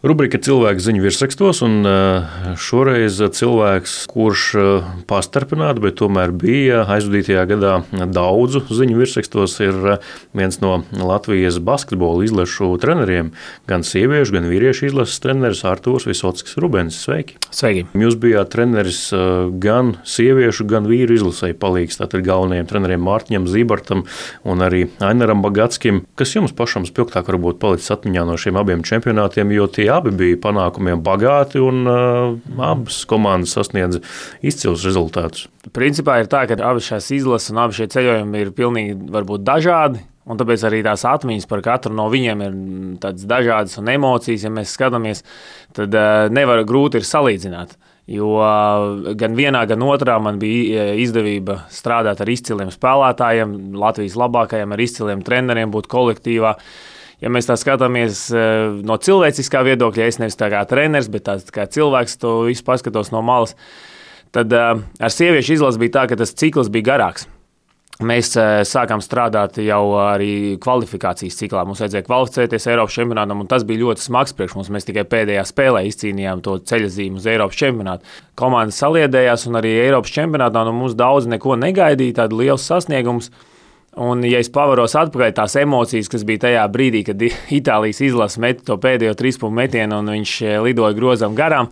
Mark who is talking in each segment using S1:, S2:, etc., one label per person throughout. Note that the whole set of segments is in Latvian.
S1: Rubrika cilvēku ziņu virsrakstos, un šoreiz cilvēks, kurš pastarpināti, bet tomēr bija aizvadītajā gadā daudzu ziņu virsrakstos, ir viens no Latvijas basketbola izlašu treneriem, gan sieviešu, gan vīriešu izlases treneris Artūrs Visockis Rubens. Sveiki!
S2: Sveiki!
S1: Jūs bijāt treneris gan sieviešu, gan vīru izlasei palīgs, tātad galvenajiem treneriem Mārtiņam Zībartam un arī Ainaram Bagatskim. Kas jums pašam spilgtāk varbūt palicis atmiņā no šiem abiem čempionātiem, jo tie abi bija panākumiem bagāti un abas komandas sasniedza izcilus rezultātus?
S2: Principā ir tā, ka abas šīs izlases un abi šie ceļojumi ir pilnīgi varbūt dažādi, un tāpēc arī tās atmiņas par katru no viņiem ir tādas dažādas un emocijas, ja mēs skatāmies, tad grūti ir salīdzināt. Jo gan vienā, gan otrā man bija izdevība strādāt ar izciliem spēlētājiem, Latvijas labākajiem, ar izciliem treneriem, būt kolektīvā. Ja mēs tā skatāmies no cilvēciskā viedokļa, es nevis tā kā treneris, bet tāds kā cilvēks to visu paskatos no malas, tad ar sieviešu izlasi bija tā, ka tas cikls bija garāks. Mēs sākām strādāt jau arī kvalifikācijas ciklā. Mums vajadzēja kvalificēties Eiropas čempionātam, un tas bija ļoti smags priekš mums. Mēs tikai pēdējā spēlē izcīnījām to ceļazīmu uz Eiropas čempionātu. Komandas saliedējās, un arī Eiropas čempionātā no mums daudz neko negaidīja, tādu liels sasniegums. Un, ja es pavaros atpakaļ tās emocijas, kas bija tajā brīdī, kad Itālijas izlase meta to pēdējo 3-punktu metienu un viņš lidoja grozam garām,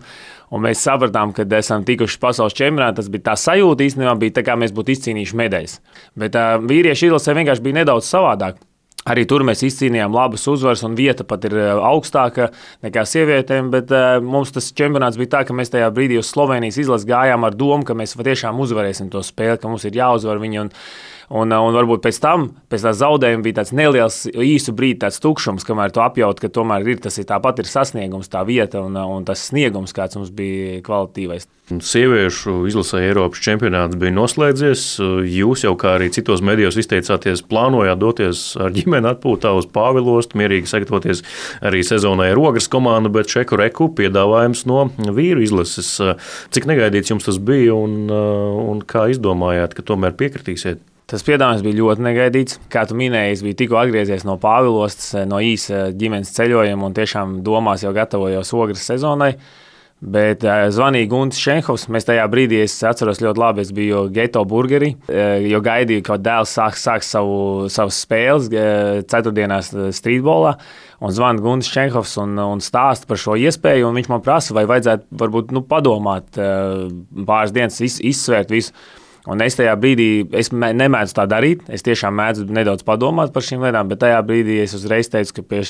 S2: un mēs sapratām, ka esam tikuši pasaules čempionātā, tas bija tā sajūta īstenībā, bija tā kā mēs būtu izcīnījuši medaļas. Bet vīriešu izlasē vienkārši bija nedaudz savādāk. Arī tur mēs izcīnījām labas uzvaras, un vieta pat ir augstāka nekā sievietēm, bet mums tas čempionāts bija tā, ka mēs tajā brīdī uz Slovenijas izlasi gājām ar domu, ka mēs patiešām uzvarēsim to spēli, ka mums ir jāuzvar viņi. Un varbūt pēc tā zaudējuma bija tāds neliels īsu brīdi tāds tukšums, kamēr tu apjaut, ka tomēr tāpat ir sasniegums, tā vieta un tas sniegums, kāds mums bija kvalitīvais.
S1: Sieviešu izlasē Eiropas čempionāts bija noslēdzies. Jūs jau, kā arī citos medijos izteicāties, plānojāt doties ar ģimeni atpūtā uz Pāvilostu, mierīgi sagatavoties arī sezonai ar Ogres komandu, bet šeku reku piedāvājums no vīru izlases. Cik negaidīts jums tas bija un kā izdomājāt, ka tomēr piekritīsiet?
S2: Tas piedāvājums bija ļoti negaidīts. Kā tu minēji, es biju tikko atgriezies no Pāvilostas, no īsa ģimenes ceļojuma un tiešām domās jau gatavojos Ogres sezonai. Bet zvanīja Guntis Šenhovs. Mēs tajā brīdī, es atceros ļoti labi, es biju Geto burgerī, jo gaidīju, ka dēls sāks savas spēles ceturtdienās streetbolā. Un zvana Guntis Šenhovs un stāsta par šo iespēju, un viņš man prasa, vai vajadzētu varbūt padomāt pāris dienas, izsvērt visu. Un es tajā brīdī, es nemēdzu tā darīt, es tiešām mēdzu nedaudz padomāt par šīm lietām, bet tajā brīdī es uzreiz teicu, ka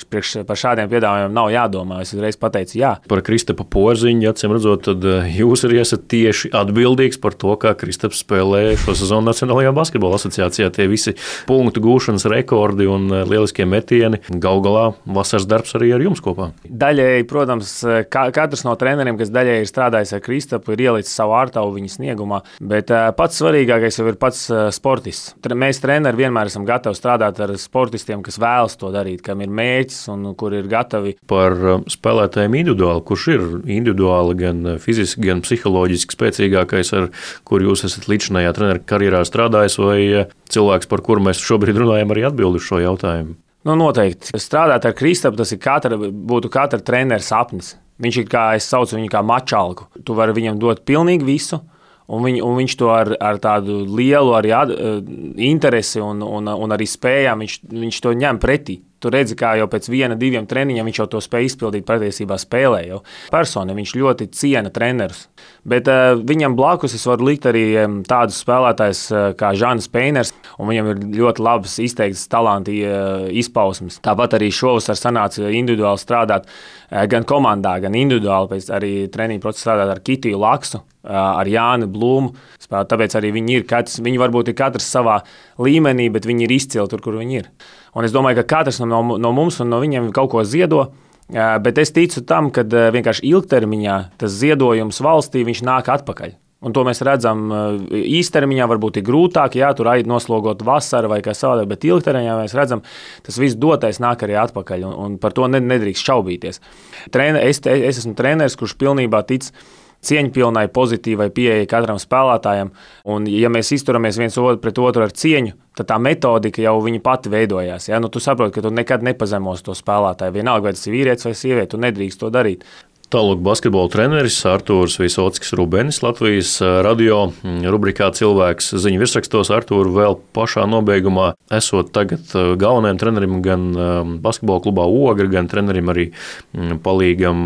S2: par šādiem piedāvājumiem nav jādomā. Es uzreiz pateicu jā.
S1: Par Kristapa Porziņu, acīm redzot, tad jūs arī esat tieši atbildīgs par to, kā Kristaps spēlē šo sezonu Nacionālajā basketbola asociācijā. Tie visi punktu gūšanas rekordi un lieliskie metieni. Galu galā vasaras darbs arī ar jums kopā.
S2: Daļēji, protams, katrs no treneriem, kas daļēji ir strādājis ar Kristapu, ir ielicis savu ārtavu viņa sniegumā, bet pats svarīgākais jau ir pats sportists. Mēs treneri vienmēr esam gatavi strādāt ar sportistiem, kas vēlas to darīt, kam ir mērķis un kur ir gatavi.
S1: Par spēlētājiem individuāli, kurš ir individuāli gan fiziski, gan psiholoģiski spēcīgākais, ar kur jūs esat līdzinājā trenera karjerā strādājis, vai cilvēks, par kuru mēs šobrīd runājam, arī atbild uz šo jautājumu?
S2: Noteikti. Strādāt ar Kristapu, tas būtu katra trenera sapnis. Viņš ir, kā es saucu viņu, kā mačalku. Tu vari viņam dot pilnīgi visu. Un viņš to ar tādu lielu arī interesi un arī spējām, viņš to ņem pretī. Tu redzi, kā jau pēc 1-2 treniņiem viņš jau to spēj izpildīt patiesībā spēlē. Jau. Personi viņš ļoti ciena trenerus. Bet viņam blakus es varu likt arī tādus spēlētājus kā Žanis Peiners, un viņam ir ļoti labas izteiktas talanti izpausmes. Tāpat arī šovasar sanāca individuāli strādāt gan komandā, gan individuāli, pēc arī treniņu procesā strādāt ar Kitiju Laksu, ar Jāni Blūmu. Tāpēc arī viņi varbūt ir katrs savā līmenī, bet viņi ir izcili tur, kur viņi ir. Un es domāju, ka katrs no mums un no viņiem kaut ko ziedo, bet es ticu tam, ka vienkārši ilgtermiņā tas ziedojums valstī viņš nāk atpakaļ. Un to mēs redzam īstermiņā, varbūt ir grūtāk, tur noslogot vasaru vai kā savādāk, bet ilgtermiņā mēs redzam, tas viss dotais nāk arī atpakaļ, un par to nedrīkst šaubīties. Es esmu treneris, kurš pilnībā tic cieņpilnai, pozitīvai pieejai katram spēlētājam. Un, ja mēs izturamies viens pret otru ar cieņu, tad tā metodika jau viņa pati veidojās. Ja? Tu saproti, ka tu nekad nepazemos to spēlētāju. Vienalga, vai tas ir vīrietis vai sieviete, tu nedrīkst to darīt.
S1: Tālāk basketbola treneris Artūrs Visockis Rubenis Latvijas radio rubrikā Cilvēks ziņu virsrakstos. Artūr, vēl pašā nobeigumā esot tagad galvenajam trenerim gan basketbola klubā Ogra, gan trenerim arī palīgam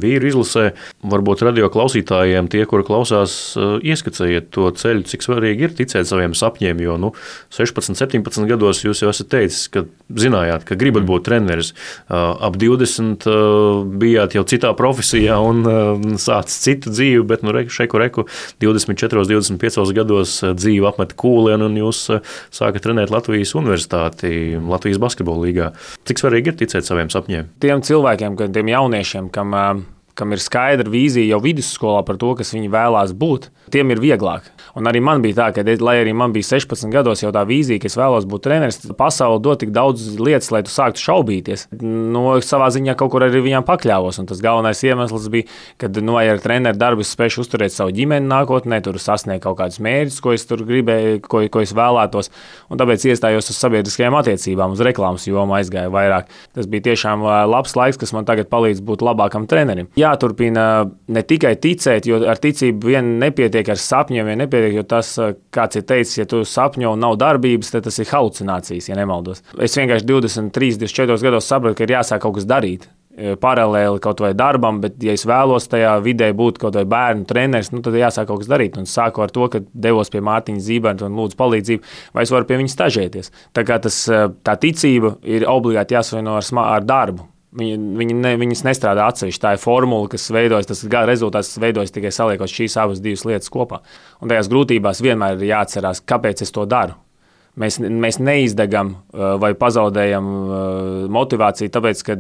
S1: vīru izlasē. Varbūt radio klausītājiem tie, kuri klausās, ieskicējiet to ceļu, cik svarīgi ir ticēt saviem sapņiem, jo 16, 17 gados jūs jau esat teicis, ka zinājāt, ka gribat būt treneris. Ap 20 bijāt jau citā profesijā un sācis citu dzīvi, bet reku 24, 25 gados dzīve apmet kūlienu un jūs sākat trenēt Latvijas universitāti, Latvijas basketbola līgā. Cik svarīgi ir ticēt saviem sapņiem?
S2: Tiem cilvēkiem, tiem jauniešiem, kam ir skaidra vīzija jau vidusskolā par to, kas viņi vēlās būt, tiem ir vieglāk. Un arī man bija tā, ka, lai arī man bija 16 gados jau tā vīzija, ka es vēlos būt treneris, pasaule dod tik daudz lietas, lai tu sāktu šaubīties. Savā ziņā kaut kur arī viņām pakļāvos, un tas galvenais iemesls bija, ka, vai ar treneru darbu es spēšu uzturēt savu ģimeni nākotnē, tur sasniegt kaut kādus mērķus, ko es tur gribēju, ko es vēlētos, un tāpēc iestājos uz sabiedriskajām attiecībām, uz reklāmas jomu aizgāju vairāk. Tas bija tiešām labs laiks, kas man tagad palīdz būt labākam trenerim. Jāturpina ne tikai ticēt, jo ar ticību vien nepietiek, ar sapņiem vien nepietiek, jo tas, kāds ir teicis, ja tu sapņo un nav darbības, tad tas ir halucinācijas, ja nemaldos. Es vienkārši 23, 24 gados sapratu, ka ir jāsāk kaut kas darīt. Paralēli kaut vai darbam, bet, ja es vēlos tajā vidē būt kaut vai bērnu treneris, tad jāsāk kaut kas darīt. Un sāku ar to, ka devos pie Mārtiņa Zīberta un lūdzu palīdzību, vai es varu pie viņa stažēties. Tā kā tā ticība ir obligāti jāsavieno ar darbu. Viņas nestrādā atsevišķi. Tā ir formula, kas veidojas, tas rezultāts veidojas tikai saliekot šīs abas divas lietas kopā. Un tajās grūtībās vienmēr ir jāatcerās, kāpēc es to daru. Mēs neizdegam vai pazaudējam motivāciju, tāpēc, ka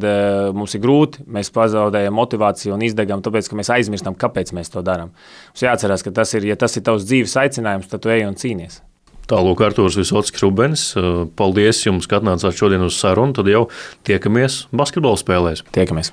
S2: mums ir grūti. Mēs pazaudējam motivāciju un izdegam, tāpēc, ka mēs aizmirstam, kāpēc mēs to darām. Mums jāatcerās, ka ja tas ir tavs dzīves aicinājums, tad tu ej un cīnies.
S1: Tālūk, Artūrs Visockis Rubenis. Paldies jums, ka atnācāt šodien uz sarunu. Tad jau tiekamies basketbola spēlēs.
S2: Tiekamies.